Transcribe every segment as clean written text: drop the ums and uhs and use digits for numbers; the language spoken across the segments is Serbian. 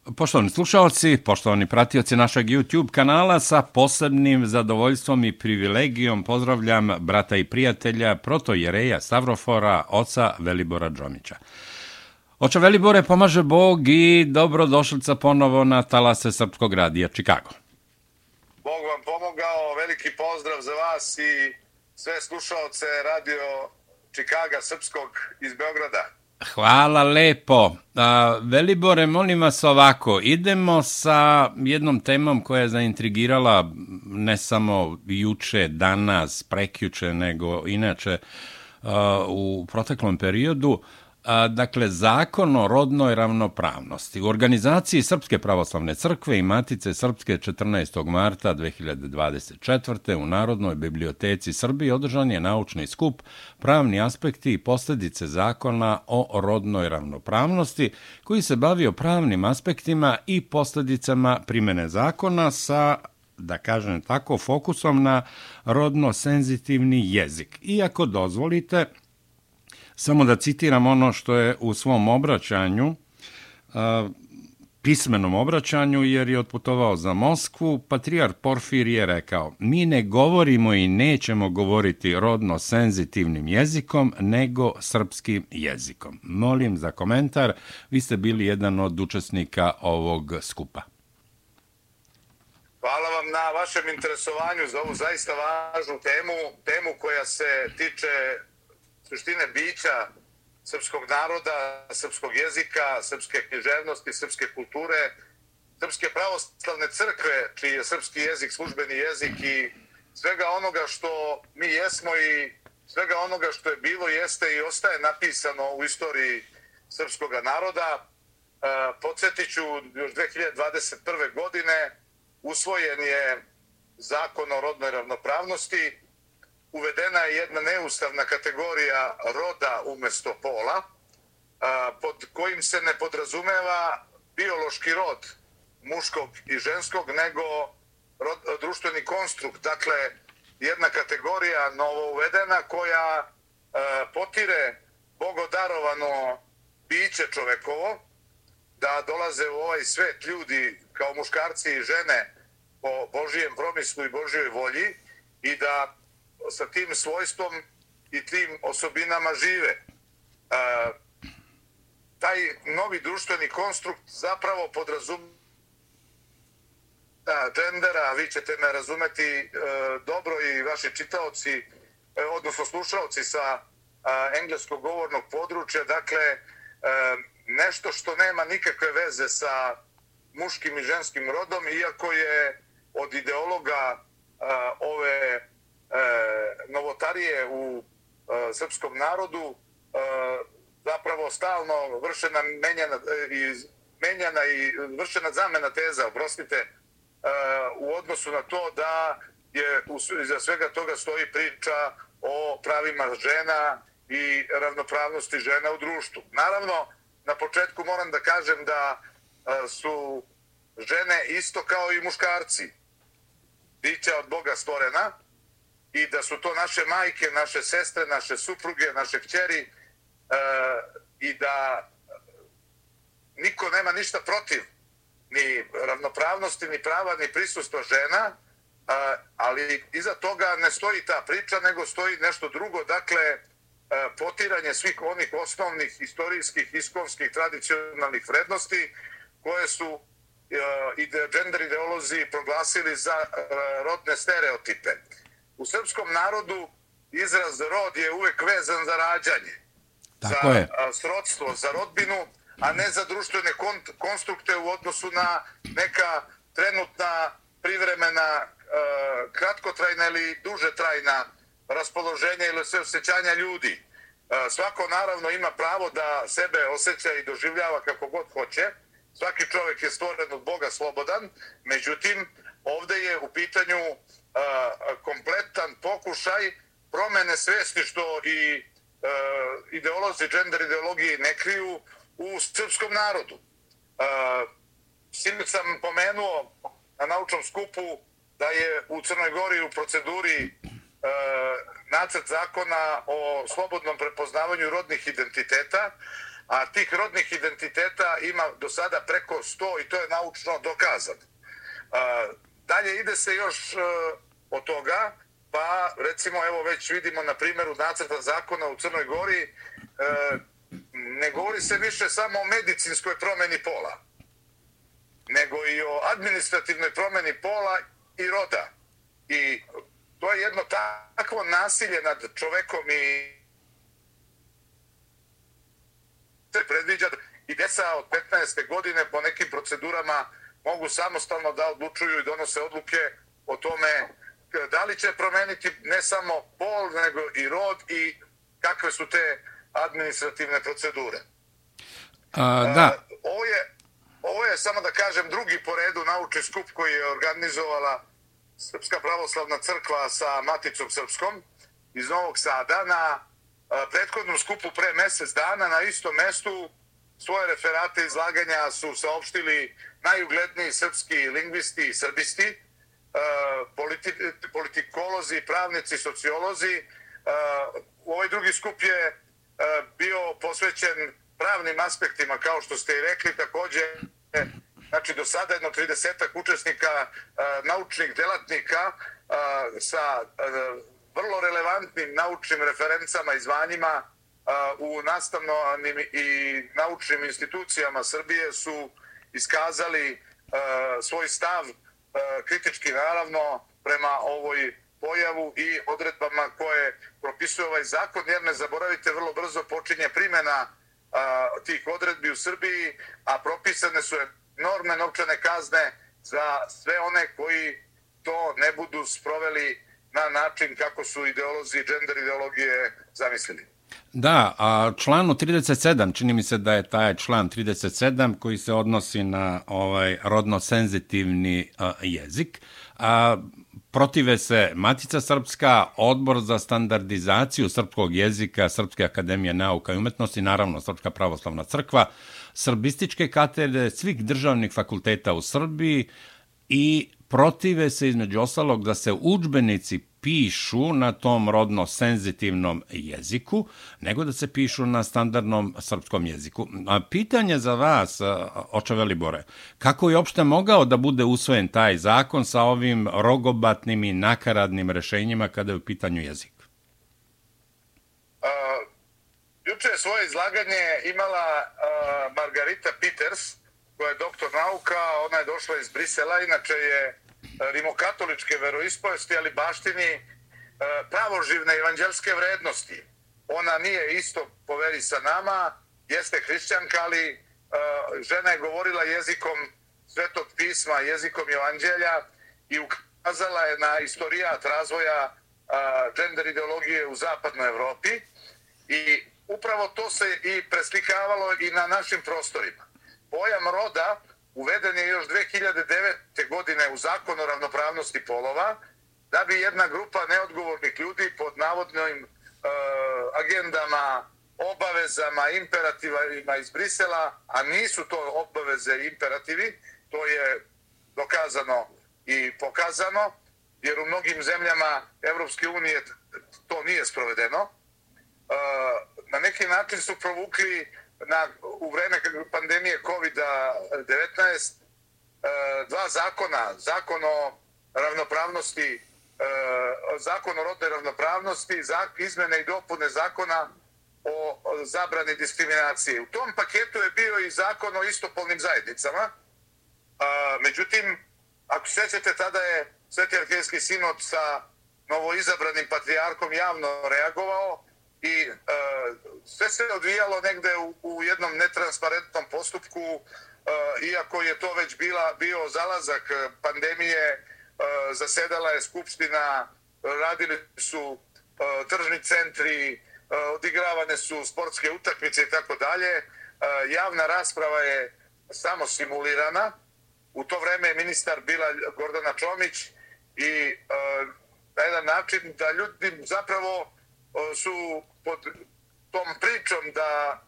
Poštovani slušalci, poštovani pratioci našeg YouTube kanala, sa posebnim zadovoljstvom i privilegijom pozdravljam brata i prijatelja protojereja Stavrofora, oca Velibora Džomića. Oče Velibore, pomaže Bog i dobrodošlica ponovo na talase Srpskog radija Čikago. Bog vam pomogao, veliki pozdrav za vas i sve slušaoce radio Čikaga Srpskog iz Beograda. Hvala lepo. Velibore, molim vas ovako, idemo sa jednom temom koja je zaintrigirala ne samo juče, danas, prekjuče, nego inače u proteklom periodu. Dakle, zakon o rodnoj ravnopravnosti. U organizaciji Srpske pravoslavne crkve i Matice Srpske 14. marta 2024. u Narodnoj biblioteci Srbije održan je naučni skup Pravni aspekti i posljedice zakona o rodnoj ravnopravnosti, koji se bavio pravnim aspektima i posljedicama primjene zakona sa, da kažem tako, fokusom na rodno senzitivni jezik. Iako dozvolite, samo da citiram ono što je u svom obraćanju, pismenom obraćanju, jer je otputovao za Moskvu, patrijarh Porfir je rekao: mi ne govorimo i nećemo govoriti rodno senzitivnim jezikom, nego srpskim jezikom. Molim za komentar, vi ste bili jedan od učesnika ovog skupa. Hvala vam na vašem interesovanju za ovu zaista važnu temu koja se tiče suštine bića srpskog naroda, srpskog jezika, srpske književnosti, srpske kulture, Srpske pravoslavne crkve, čiji je srpski jezik službeni jezik i svega onoga što mi jesmo i svega onoga što je bilo, jeste i ostaje napisano u istoriji srpskog naroda. Podsjetit ću, još 2021. godine usvojen je zakon o rodnoj ravnopravnosti. Uvedena je jedna neustavna kategorija roda umjesto pola, pod kojim se ne podrazumeva biološki rod muškog i ženskog, nego društveni konstrukt. Dakle, jedna kategorija novo uvedena koja potire bogodarovano biće čovekovo, da dolaze u ovaj svet ljudi kao muškarci i žene po Božijem promislu i Božjoj volji i da sa tim svojstvom i tim osobinama žive. Taj novi društveni konstrukt zapravo podrazumeva gendera, vi ćete me razumeti dobro i vaši čitaoci, odnosno slušaoci sa engleskog govornog područja, dakle nešto što nema nikakve veze sa muškim i ženskim rodom, iako je od ideologa ove novotarije u srpskom narodu zapravo stalno vršena vršena zamena teza, oprostite, u odnosu na to da je iza svega toga stoji priča o pravima žena i ravnopravnosti žena u društvu. Naravno, na početku moram da kažem da su žene isto kao i muškarci, bića od Boga stvorena, i da su to naše majke, naše sestre, naše supruge, naše kćeri, i da niko nema ništa protiv ni ravnopravnosti, ni prava, ni prisustva žena, ali iza toga ne stoji ta priča, nego stoji nešto drugo, dakle potiranje svih onih osnovnih istorijskih, iskonskih, tradicionalnih vrednosti koje su gender ideolozi proglasili za rodne stereotipe. U srpskom narodu izraz rod je uvek vezan za rađanje, za srodstvo, za rodbinu, a ne za društvene konstrukte u odnosu na neka trenutna, privremena, kratkotrajna ili duže trajna raspoloženja ili osjećanja ljudi. Svako naravno ima pravo da sebe osjeća i doživljava kako god hoće. Svaki čovjek je stvoren od Boga slobodan, međutim, ovdje je u pitanju kompletan pokušaj promene svesti, što i ideolozi, gender ideologije ne kriju u srpskom narodu. Sinoć sam pomenuo na naučnom skupu da je u Crnoj Gori u proceduri nacrt zakona o slobodnom prepoznavanju rodnih identiteta, a tih rodnih identiteta ima do sada preko 100 i to je naučno dokazano. Dalje ide se još od toga, pa recimo evo već vidimo na primjeru nacrta zakona u Crnoj Gori, ne govori se više samo o medicinskoj promjeni pola, nego i o administrativnoj promjeni pola i roda. I to je jedno takvo nasilje nad čovekom i se predviđa i djeca od 15. godine po nekim procedurama mogu samostalno da odlučuju i donose odluke o tome da li će promeniti ne samo pol, nego i rod i kakve su te administrativne procedure. Da. Ovo je, samo da kažem, drugi po redu naučni skup koji je organizovala Srpska pravoslavna crkva sa Maticom Srpskom iz Novog Sada. Na prethodnom skupu pre mjesec dana na istom mestu svoje referate izlaganja su saopštili najugledniji srpski lingvisti i srbisti, politikolozi, pravnici, sociolozi. Ovaj drugi skup je bio posvećen pravnim aspektima, kao što ste i rekli, također, znači do sada jedno 30 učesnika, naučnih delatnika sa vrlo relevantnim naučnim referencama i zvanjima u nastavnim i naučnim institucijama Srbije su iskazali svoj stav, kritički naravno, prema ovoj pojavu i odredbama koje propisuje ovaj zakon, jer ne zaboravite, vrlo brzo počinje primjena tih odredbi u Srbiji, a propisane su enormne novčane kazne za sve one koji to ne budu sproveli na način kako su ideolozi gender ideologije zamislili. Da, a članu 37, čini mi se da je taj član 37 koji se odnosi na rodno senzitivni jezik, protive se Matica Srpska, Odbor za standardizaciju srpskog jezika, Srpske akademije nauka i umetnosti, naravno Srpska pravoslavna crkva, srbističke katedre svih državnih fakulteta u Srbiji i protive se između ostalog da se udžbenici pišu na tom rodno senzitivnom jeziku, nego da se pišu na standardnom srpskom jeziku. A pitanje za vas, oče Velibore, kako je uopšte mogao da bude usvojen taj zakon sa ovim rogobatnim i nakaradnim rešenjima kada je u pitanju jezik? Juče je svoje izlaganje imala Margarita Peters, koja je doktor nauka, ona je došla iz Brisela, inače je rimokatoličke veroispovesti, ali baštini pravoživne evanđelske vrednosti. Ona nije isto po veri sa nama, jeste hrišćanka, ali žena je govorila jezikom Svetog pisma, jezikom evanđelja i ukazala je na istorijat razvoja gender ideologije u zapadnoj Evropi i upravo to se i preslikavalo i na našim prostorima. Pojam roda uveden je još 2009. godine u Zakon o ravnopravnosti polova, da bi jedna grupa neodgovornih ljudi pod navodnim agendama, obavezama, imperativima iz Brisela, a nisu to obaveze i imperativi, to je dokazano i pokazano, jer u mnogim zemljama Evropske unije to nije sprovedeno. Na neki način su provukli u vreme pandemije COVID-19 dva zakona, zakon o ravnopravnosti, zakon o rodnoj ravnopravnosti, izmene i dopune zakona o zabrani diskriminacije. U tom paketu je bio i zakon o istopolnim zajednicama. Međutim, ako se sjećate, tada je Sveti arhijejski sinod sa novoizabranim patrijarhom javno reagovao i sve se odvijalo negde u jednom netransparentnom postupku, iako je to već bio zalazak pandemije, zasedala je skupština, radili su tržni centri, odigravane su sportske utakmice i tako dalje. Javna rasprava je samo simulirana. U to vreme je ministar bila Gordana Čomić i na jedan način da ljudi zapravo su pod tom pričom da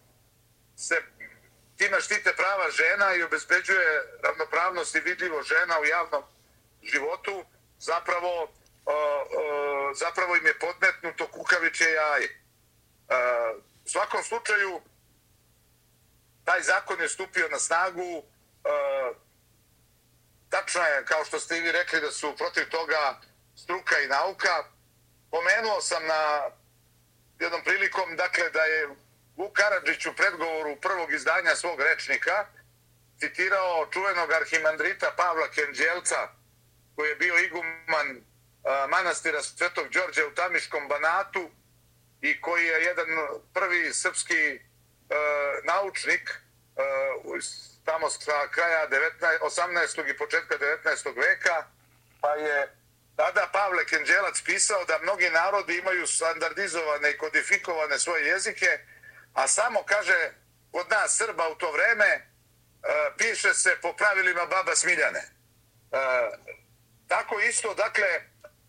se time štite prava žena i obezbeđuje ravnopravnost i vidljivo žena u javnom životu, zapravo im je podmetnuto kukavičje jaje. U svakom slučaju, taj zakon je stupio na snagu. Tačno je, kao što ste i vi rekli, da su protiv toga struka i nauka. Pomenuo sam na jednom prilikom, dakle, da je Vuk Karadžić u predgovoru prvog izdanja svog rečnika citirao čuvenog arhimandrita Pavla Kenđelca, koji je bio iguman manastira Svetog Đorđa u Tamiškom Banatu i koji je jedan prvi srpski naučnik tamo sa kraja 18. i početka 19. veka, pa je tada Pavle Kenđelac pisao da mnogi narodi imaju standardizovane i kodifikovane svoje jezike, a samo, kaže, kod nas Srba u to vreme piše se po pravilima baba Smiljane. Tako isto, dakle,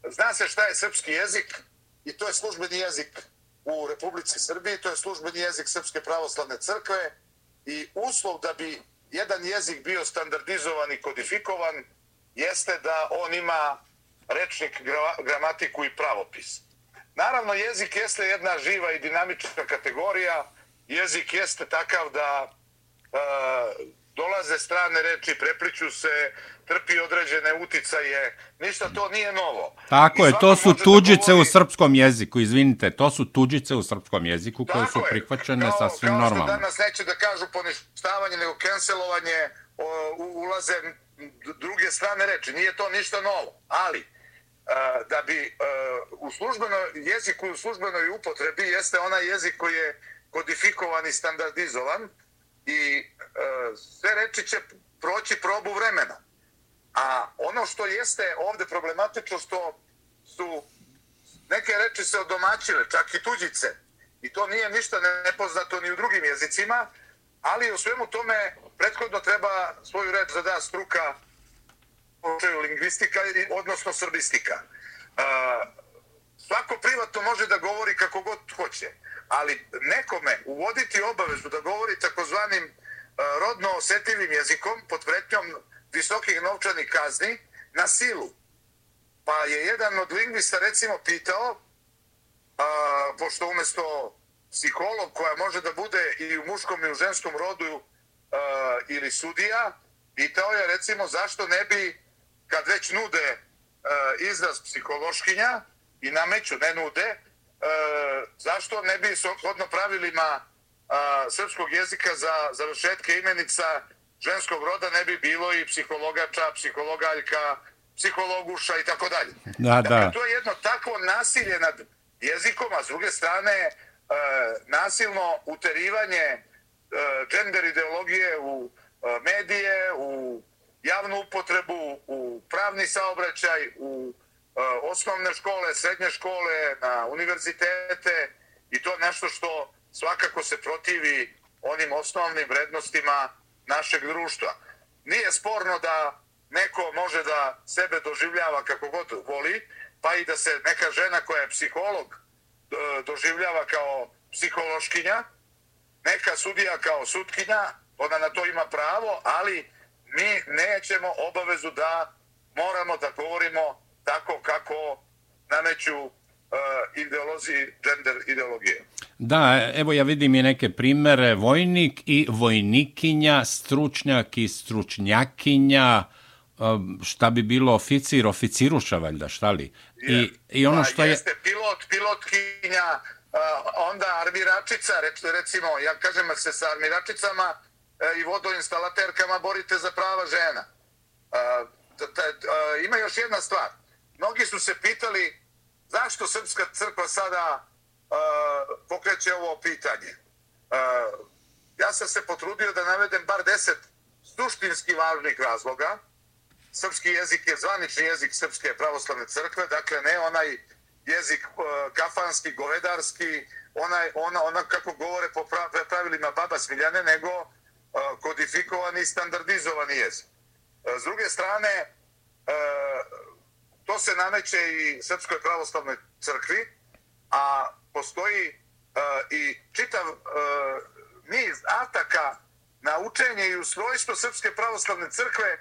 zna se šta je srpski jezik i to je službeni jezik u Republici Srbiji, to je službeni jezik Srpske pravoslavne crkve i uslov da bi jedan jezik bio standardizovan i kodifikovan jeste da on ima rečnik, gramatiku i pravopis. Naravno, jezik jeste jedna živa i dinamična kategorija. Jezik jeste takav da dolaze strane reči, prepliću se, trpi određene uticaje. Ništa to nije novo. Tako je, to su tuđice u srpskom jeziku, izvinite, to su tuđice u srpskom jeziku koje su prihvaćene sasvim normalno. Kao što danas neće da kažu poništavanje, nego cancelovanje, ulaze druge strane reči. Nije to ništa novo, ali da bi u službenoj jeziku, u službenoj upotrebi jeste onaj jezik koji je kodifikovan i standardizovan i sve reči će proći probu vremena. A ono što jeste ovde problematično, što su neke reči se odomaćile, čak i tuđice, i to nije ništa nepoznato ni u drugim jezicima, ali u svemu tome prethodno treba svoju reč da da struka, lingvistika, odnosno srbistika. Svako privatno može da govori kako god hoće, ali nekome uvoditi obavezu da govori takozvanim rodno osetljivim jezikom pod pretnjom visokih novčanih kazni na silu. Pa je jedan od lingvista recimo pitao, pošto umesto psiholog koja može da bude i u muškom i u ženskom rodu ili sudija, pitao je recimo zašto ne bi, kad već nude izraz psihološkinja i nameću, ne nude, zašto ne bi shodno pravilima srpskog jezika za završetke imenica ženskog roda ne bi bilo i psihologača, psihologaljka, psihologuša i tako dalje. Dakle, to je jedno takvo nasilje nad jezikom, a s druge strane nasilno uterivanje gender ideologije u medije, u javnu upotrebu, u pravni saobraćaj, u osnovne škole, srednje škole, na univerzitete, i to je nešto što svakako se protivi onim osnovnim vrednostima našeg društva. Nije sporno da neko može da sebe doživljava kako god voli, pa i da se neka žena koja je psiholog doživljava kao psihološkinja, neka sudija kao sutkinja, ona na to ima pravo, ali mi nećemo obavezu da moramo da govorimo tako kako nameću ideolozi, gender ideologije. Da, evo ja vidim i neke primere, vojnik i vojnikinja, stručnjak i stručnjakinja, šta bi bilo oficir, oficiruša valjda, šta li? I ono što jeste pilot, pilotkinja, onda armiračica, recimo, ja kažem se sa armiračicama i vodoinstalaterkama borite za prava žena. Ima još jedna stvar. Mnogi su se pitali zašto Srpska crkva sada pokreće ovo pitanje. Ja sam se potrudio da navedem bar 10 suštinski važnih razloga. Srpski jezik je zvanični jezik Srpske pravoslavne crkve, dakle ne onaj jezik kafanski, govedarski, ona kako govore po pravilima baba Smiljane, nego kodifikovani i standardizovani jezik. S druge strane, to se nameće i Srpskoj pravoslavnoj crkvi, a postoji i čitav niz ataka na učenje i ustrojstvo Srpske pravoslavne crkve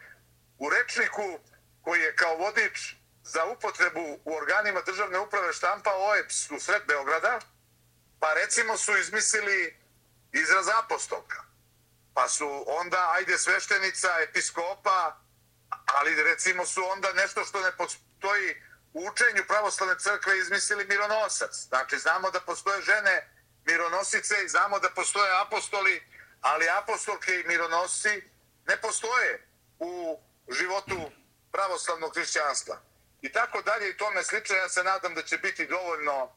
u rečniku koji je kao vodič za upotrebu u organima državne uprave štampao OEBS u sred Beograda, pa recimo su izmislili izraz apostolka. pa su onda, ajde, sveštenica, episkopa, ali recimo su onda nešto što ne postoji u učenju pravoslavne crkve izmislili mironosac. Znači, znamo da postoje žene mironosice i znamo da postoje apostoli, ali apostolke i mironosci ne postoje u životu pravoslavnog hrišćanstva. I tako dalje i tome slično. Ja se nadam da će biti dovoljno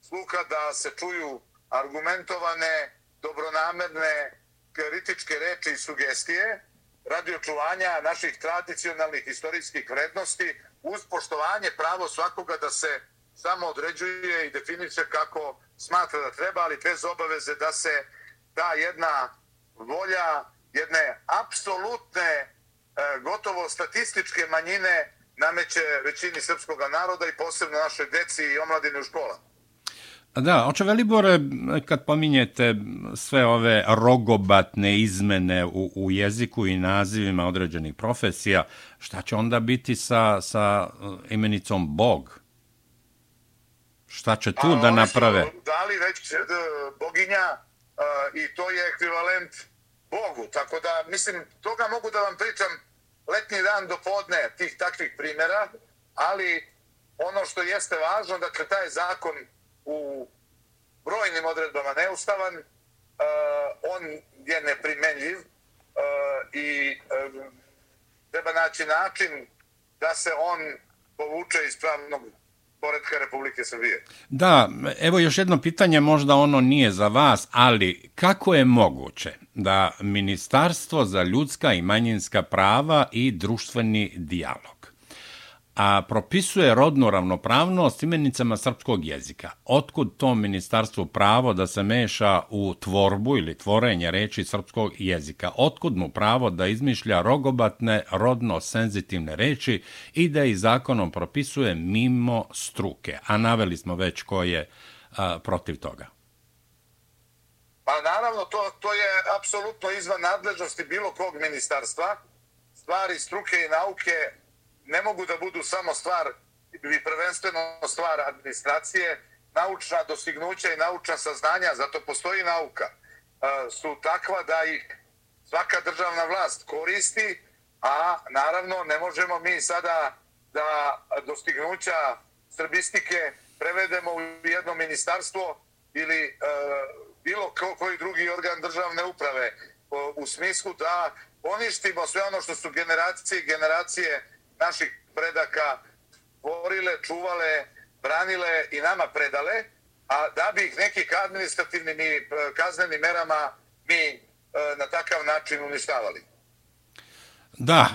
sluha da se čuju argumentovane, dobronamerne, kritičke reči i sugestije radi očuvanja naših tradicionalnih istorijskih vrednosti uz poštovanje pravo svakoga da se samo određuje i definiše kako smatra da treba, ali bez obaveze da se ta jedna volja jedne apsolutne, gotovo statističke manjine nameće većini srpskog naroda i posebno našoj deci i omladini u školama. Da, oče Velibore, kad pominjete sve ove rogobatne izmene u jeziku i nazivima određenih profesija, šta će onda biti sa imenicom Bog? Šta će tu da naprave? Oni su dali već boginja i to je ekvivalent Bogu, tako da, mislim, toga mogu da vam pričam letnji dan do podne tih takvih primjera, ali ono što jeste važno, dakle, taj zakon u brojnim odredbama neustavan, on je neprimenljiv i treba naći način da se on povuče iz pravnog poretka Republike Srbije. Da, evo još jedno pitanje, možda ono nije za vas, ali kako je moguće da Ministarstvo za ljudska i manjinska prava i društveni dijalog propisuje rodnu ravnopravnost imenicama srpskog jezika? Otkud to ministarstvu pravo da se meša u tvorbu ili tvorenje reči srpskog jezika? Otkud mu pravo da izmišlja rogobatne, rodno senzitivne reči i da ih zakonom propisuje mimo struke? A naveli smo već ko je protiv toga. Pa naravno, to je apsolutno izvan nadležnosti bilo kog ministarstva. Stvari struke i nauke ne mogu da budu samo stvar ili prvenstveno stvar administracije. Naučna dostignuća i naučna saznanja, zato postoji nauka, su takva da ih svaka državna vlast koristi, a naravno ne možemo mi sada da dostignuća srbistike prevedemo u jedno ministarstvo ili bilo koji drugi organ državne uprave u smislu da poništimo sve ono što su generacije i generacije naših predaka tvorile, čuvale, branile i nama predale, a da bi ih nekih administrativnim i kaznenim merama mi na takav način uništavali. Da,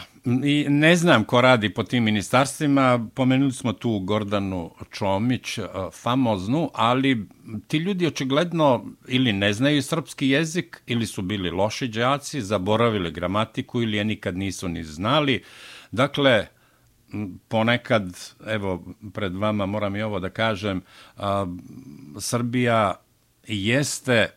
i ne znam ko radi po tim ministarstvima, pomenuli smo tu Gordanu Čomić, famoznu, ali ti ljudi očigledno ili ne znaju srpski jezik, ili su bili loši đaci, zaboravili gramatiku ili je nikad nisu ni znali. Dakle, ponekad, evo, pred vama moram i ovo da kažem, Srbija jeste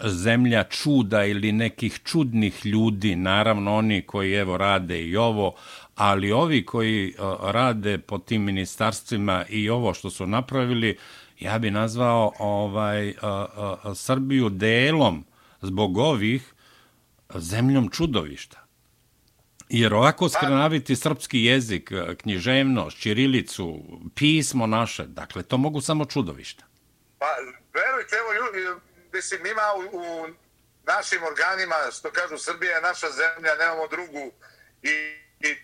zemlja čuda ili nekih čudnih ljudi, naravno oni koji evo rade i ovo, ali ovi koji rade po tim ministarstvima i ovo što su napravili, ja bi nazvao Srbiju delom zbog ovih zemljom čudovišta. Jer ovako skrnaviti srpski jezik, književnost, ćirilicu, pismo naše, dakle, to mogu samo čudovišta. Pa, verujte, evo ljudi, mislim, ima u našim organima, što kažu, Srbija je naša zemlja, nemamo drugu i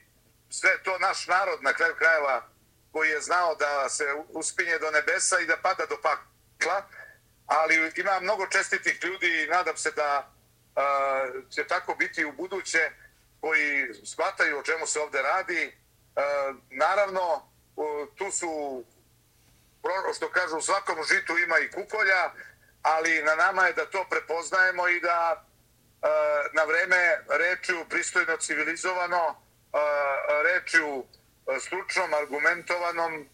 sve to naš narod na kraju krajeva koji je znao da se uspinje do nebesa i da pada do pakla, ali ima mnogo čestitih ljudi i nadam se da će tako biti u buduće, koji shvataju o čemu se ovde radi. Naravno, tu su, što kažu, u svakom žitu ima i kukolja, ali na nama je da to prepoznajemo i da na vreme rečju pristojno, civilizovano, rečju stručnom, argumentovanom,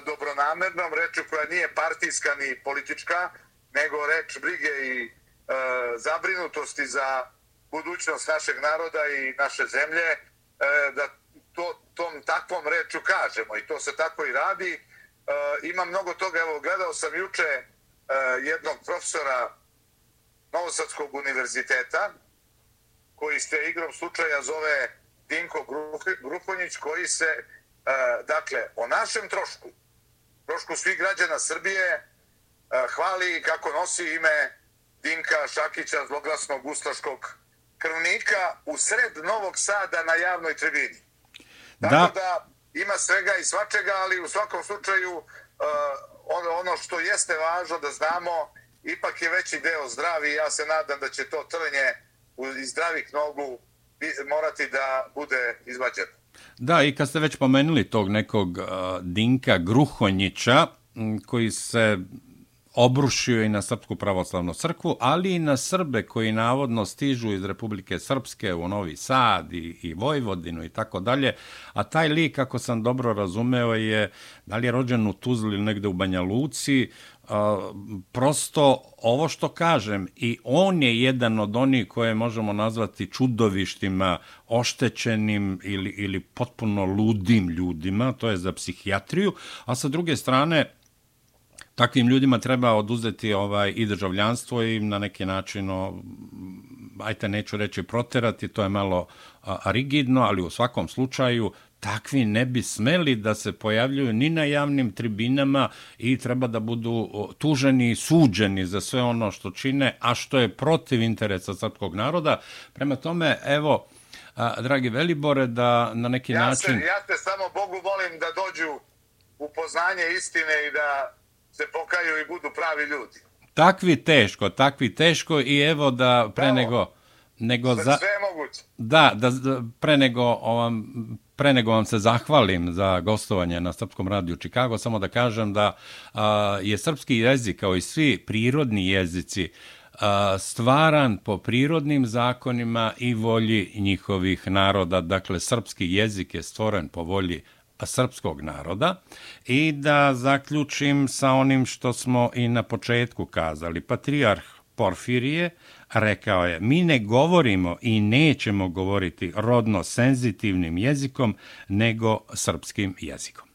dobronamernom, rečju koja nije partijska ni politička, nego reč brige i zabrinutosti za budućnost našeg naroda i naše zemlje, da tom takvom rečju kažemo i to se tako i radi. Ima mnogo toga, evo, gledao sam juče jednog profesora Novosadskog univerziteta, koji se igrom slučaja zove Dinko Gruhonjić, koji se, dakle, o našem trošku svih građana Srbije, hvali kako nosi ime Dinka Šakića, zloglasnog ustaškog krvnika, u sred Novog Sada na javnoj tribini. Tako da ima svega i svačega, ali u svakom slučaju ono što jeste važno da znamo, ipak je veći deo zdravi i ja se nadam da će to trnje iz zdravih nogu morati da bude izvađeno. Da, i kad ste već pomenuli tog nekog Dinka Gruhonjića, koji se obrušio i na Srpsku pravoslavnu crkvu, ali i na Srbe koji navodno stižu iz Republike Srpske u Novi Sad i Vojvodinu i tako dalje, a taj lik, ako sam dobro razumeo, je, da li je rođen u Tuzli ili negde u Banja Luci, prosto ovo što kažem, i on je jedan od onih koje možemo nazvati čudovištima, oštećenim ili potpuno ludim ljudima, to je za psihijatriju, a sa druge strane, takvim ljudima treba oduzeti i državljanstvo i na neki način, neću reći proterati, to je malo rigidno, ali u svakom slučaju takvi ne bi smeli da se pojavljuju ni na javnim tribinama i treba da budu tuženi i suđeni za sve ono što čine, a što je protiv interesa srpskog naroda. Prema tome, evo, dragi Velibore, da na neki način... Ja te samo Bogu molim da dođu u poznanje istine i da se pokaju i budu pravi ljudi. Takvi teško i evo da pre nego sve je moguće. Da, pre nego vam se zahvalim za gostovanje na Srpskom radiju Čikago, samo da kažem da je srpski jezik, kao i svi prirodni jezici, stvaran po prirodnim zakonima i volji njihovih naroda. Dakle, srpski jezik je stvoren po volji srpskog naroda. I da zaključim sa onim što smo i na početku kazali. Patrijarh Porfirije rekao je: mi ne govorimo i nećemo govoriti rodno senzitivnim jezikom, nego srpskim jezikom.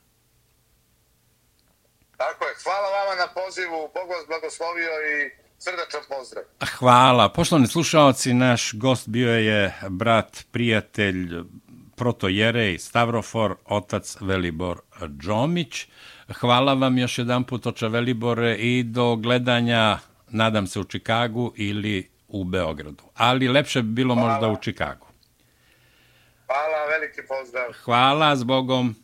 Tako je. Hvala vama na pozivu. Bog vas blagoslovio i srdačan pozdrav. Hvala. Poštovani slušaoci, naš gost bio je brat, prijatelj, protojerej Stavrofor, otac Velibor Džomić. Hvala vam još jedan put, oče Velibore, i do gledanja, nadam se, u Čikagu ili u Beogradu. Ali lepše bi bilo možda u Čikagu. Hvala, veliki pozdrav. Hvala, s Bogom.